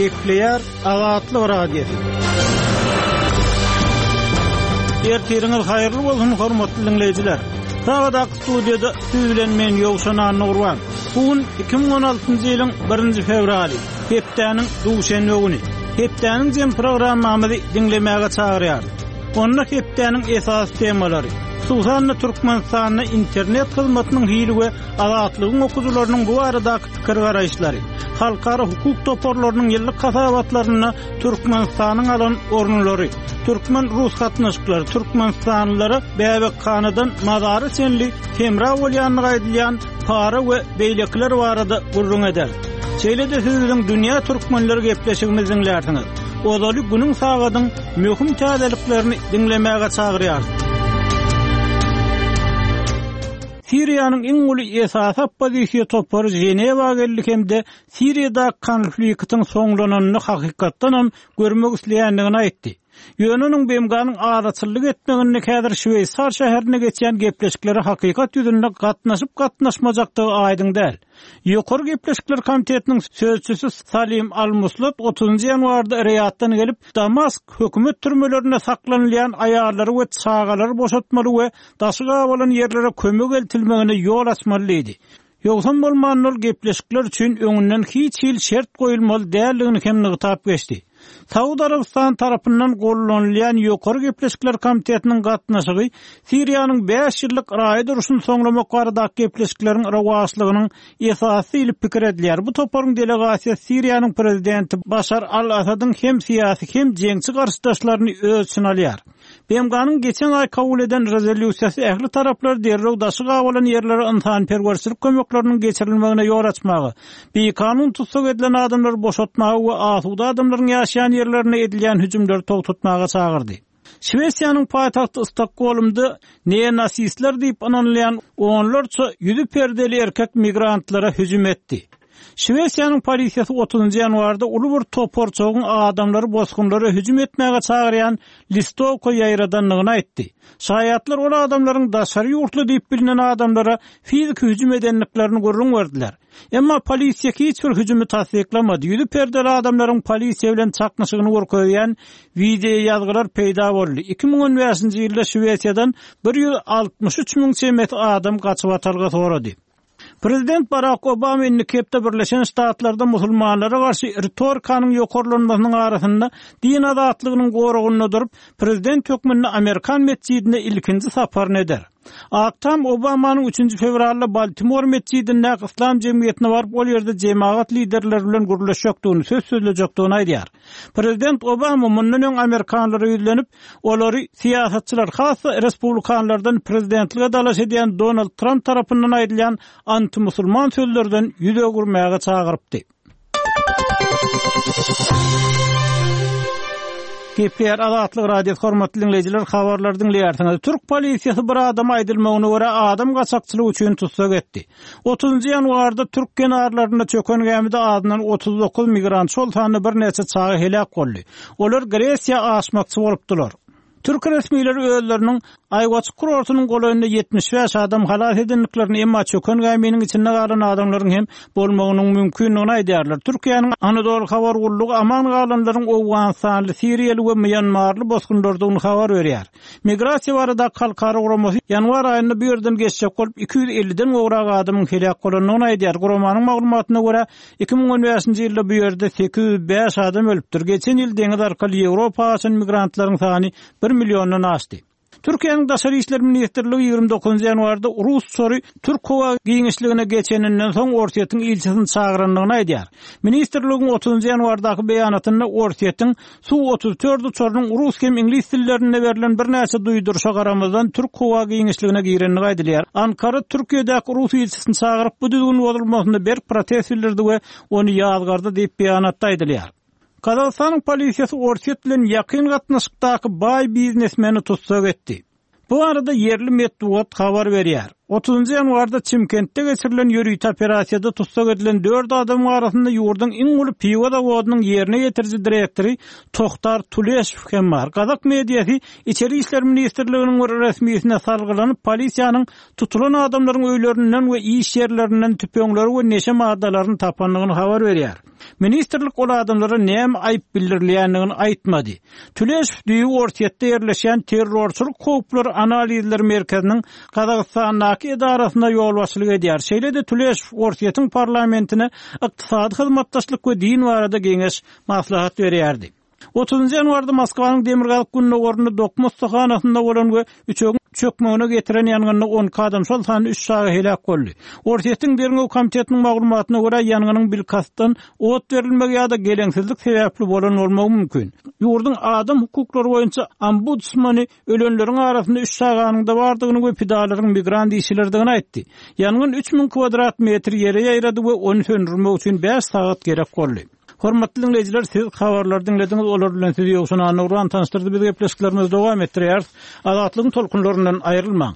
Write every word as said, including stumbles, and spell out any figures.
Gepleýär Azatlyk Radiosy. Ertiriňiz haýyrly bolsun, hormatly diňleýjiler. Sagadak studiýada siz bilen men Ýowşan Annagurban. Bu gün iki müň on altynjy ýylyň birinji fewraly, hepdäniň duşenbe güni. Hepdäniň jem programmamyzy diňlemäge çagyrýarys. Onda hepdäniň esasy temalary, hususan-da Türkmenistanda internet hyzmatynyň hili we azatlygyň okuwçylarynyň bu baradaky pikir garaýyşlary, halkara hukuk toparlarynyň ýyllyk hasabatlarynda Türkmenistanyň alan orunlary, Türkmen-Rus gatnaşyklary, Türkmenistanlylara bäbekhanadan mazara çenli hemra bolýanlygy aýdylýan para we beýlekiler barada gürrüň eder. Şeýle-de siz biziň Dünýä Türkmenleri gepleşigimizi diňlärsiňiz. Ozaly günüň sagadyň möhüm täzeliklerini diňlemäge çagyrýarys. Siriýanyň iň uly esasy oppozisiýa topary Ženewa geldi hem-de Siriýada konfliktiň soňlananyny hakykatdan hem görmek isleýändigini aýtdy. Ýöne onuň B M G-nyň araçyllyk etmeginde häzir Şweýsar şäherine geçýän gepleşiklere hakykat ýüzünde gatnaşyp gatnaşmajakdygy aýdyň däl. Ýokary gepleşikler komitetiniň sözçüsi Salim Al-Muslat otuzynjy ýanwarda Riýaddan gelip, Damask hökümet türmelerinde saklanylýan aýallary we çagalary boşatmaly we daşy gabalan ýerlere kömek eltilmegine ýol açmaly diýdi. Ýogsam bolman ol gepleşikler üçin öňünden hiç hil şert goýulmaly däldigini hem nygtap geçdi. Saud Arabystan tarapyndan gollanylýan Ýokary gepleşikler komitetiniň gatnaşygy Siriýanyň bäş ýyllyk raýat urşuny soňlamak baradaky gepleşikleriň rowaçlygynyň esasy diýlip pikir edilýär. Bu toparyň delegasiýasy Siriýanyň prezidenti Başar al-Asadyň hem syýasy hem jeňçi garşydaşlaryny öz içine alýar. B M G-nyň geçen aý kabul eden rezolýusiýasy ähli taraplar derrew daşy gabalan ýerlere ynsanperwerçilik kömekleriniň geçirilmegine ýol açmaga, bikanun tussag edilen adamlary boşatmaga we asuda adamlaryň ýaşaýan ýerlerine edilýän hüjümleri togtatmaga çagyrdy. Şwesiýanyň paýtagty Stokgolmda neonasistler diýip ynanylýan onlarça ýüzi perdeli erkek migrantlara hüjüm etdi. Şwesiýanyň polisiýasy otuzynjy ýanwarda uly bir toparçagyň adamlary bosgunlara hüjüm etmäge çagyrýan listowka ýaýradandygyny aýtdy. Şaýatlar ol adamlaryň daşary ýurtly diýip bilinen adamlara fiziki hüjüm edendiklerini gürrüň berdiler. Emma polisiýa hiç bir hüjümi tassyklamady. Ýüzi perdeli adamlaryň polisiýa bilen çaknyşygyny görkezýän wideo ýazgylar peýda boldy. Iki müň on bäşinji ýylda Şwesiýadan bir ýüz altmyş üç müň çemesi adam gaçyp atalga sorady. Prezident Barack Obama indiki hepde Birleşen Ştatlarda musulmanlara garşy ritorikanyň ýokarlanmasynyň arasynda din azatlygynyň goragynda durup, prezident hökmünde Amerikan metjidine ilkinji saparyny eder. Ak Tam Obamanyň üçünji fewralda Baltimore metjidindäki Islam jemgyýetine baryp, ol ýerde jemagat liderleri bilen gürleşjekdigini, söz sözlejekdigini aýdýar. Prezident Obama mundan öň Amerikanlara ýüzlenip, olary syýasatçylar, has-da respublikanlardan prezidentlige dalaş edýän Donald Trump tarapyndan aýdylýan anti-musulman sözlerden ýüz öwürmäge çagyrypdy. G P R Azatlyk Radiosy hormatly dinleýjiler, habarlary dinleýärsiňiz. Türk polisiýasy bir adam aýdylmagyna görä adam gaçakçylygy üçin tussag etdi. Otuzynjy ýanwarda Türk kenarlarynda çöken gämide azyndan otuz dokuz migrant, şol sanda birnäçe çaga heläk boldy. Olar Gresiýa aşmakçy bolupdylar. Türk resmileri özleriniň Aýwaçyk kurortynyň golaýynda ýetmiş bäş adam halas edendiklerini, emma çöken gäminiň içinde galan adamlaryň hem bolmagynyň mümkindigini aýdýarlar. Türkiýäniň Anadolu habar gullugy aman galanlaryň Owganystanly, Siriýaly we Mýanmarly bosgunlardygyny habar berýär. Migrasiýa baradaky halkara guramasy ýanwar aýynda bu ýerden geçjek bolup iki ýüz elliden gowrak adamyň heläk bolandygyny aýdýar. Guramanyň maglumatyna görä iki müň on bäşinji ýylda bu ýerde sekiz ýüz bäş adam ölüpdir. Geçen ýyl deňiz arkaly Ýewropa aşan migrantlaryň sany bir milliondan aşdy. Türkiýäniň Daşary İşler Ministrligi ýigrimi dokuzynjy ýanwarda Rus uçary Türk howa giňişligine geçeninden soň Orsýetiň ilçisini çagyrandygyny aýdýar. Ministrligiň otuzynjy ýanwardaky beýanatynda Orsýetiň Su otuz dört uçarynyň rus hem iňlis dillerinde berlen birnäçe duýduryşa garamazdan Türk howa giňişligine girendigi aýdylýar. Ankara Türkiýedäki Rus ilçisini çagyryp bu düzgün bozulmasyna berk protest bildirdi we ony ýazgardy diýip beýanatda aýdylýar. Gazagystanyň polisiýasy Orsýet bilen ýakyn gatnaşykdaky baý biznesmeni tussag etdi. Bu arada ýerli metbugat habar berýär. Otuzynjy ýanwarda Çimkentde geçirilen ýörite operasiýada tussag edilen dört adamyň arasynda ýurduň iň uly piwo zawodynyň ýerine ýetiriji direktory Tohtar Tuleşew hem bar. Gazak mediasy İçeri İşler Ministrliginiň bir resmisine salgylanyp polisiýanyň tutulan adamlaryň öýlerinden we iş ýerlerinden tüpeňleri we neşe maddalaryny tapandygyny habar berýär. Ministrlik ol adamlara näme aýyp bildirilýändigini aýtmady. Tuleşow düýbi Orsýetde ýerleşýän Terrorçylyk howplary analizleri merkeziniň Gazagystandaky edarasyna ýolbaşçylyk edýär. Şeýle-de Tuleşow Orsýetiň parlamentine ykdysady hyzmatdaşlyk we din barada geňeş maslahat berýärdi. Otuzynjy ýanwarda Moskwanyň demirgazyk-gündogarynda dokma ussahanasynda bolan we üçegiň çökmegine getiren ýangynda on iki adam, şol sanda üç çaga heläk boldy. Orsýetiň Derňew komitetiniň maglumatyna görä, ýangynyň bilkastdan ot berilmegi ýa-da geleňsizlik sebäpli bolan bolmagy mümkin. Ýurduň adam hukuklary boýunça ombudsmany ölenleriň arasynda üç çaganyň-da bardygyny we pidalaryň migrant işçileridigini aýtdy. Ýangyn üç müň kwadrat metr ýere ýaýrady we ony söndürmek üçin bäş sagat gerek boldy. Hormatly diňleýjiler, siz habarlary diňlediňiz, olar bilen sizi Ýowşan Annagurban tanyşdyrdy. Biz gepleşiklerimizi dowam etdirýäris. Azatlygyň tolkunlaryndan aýrylmaň.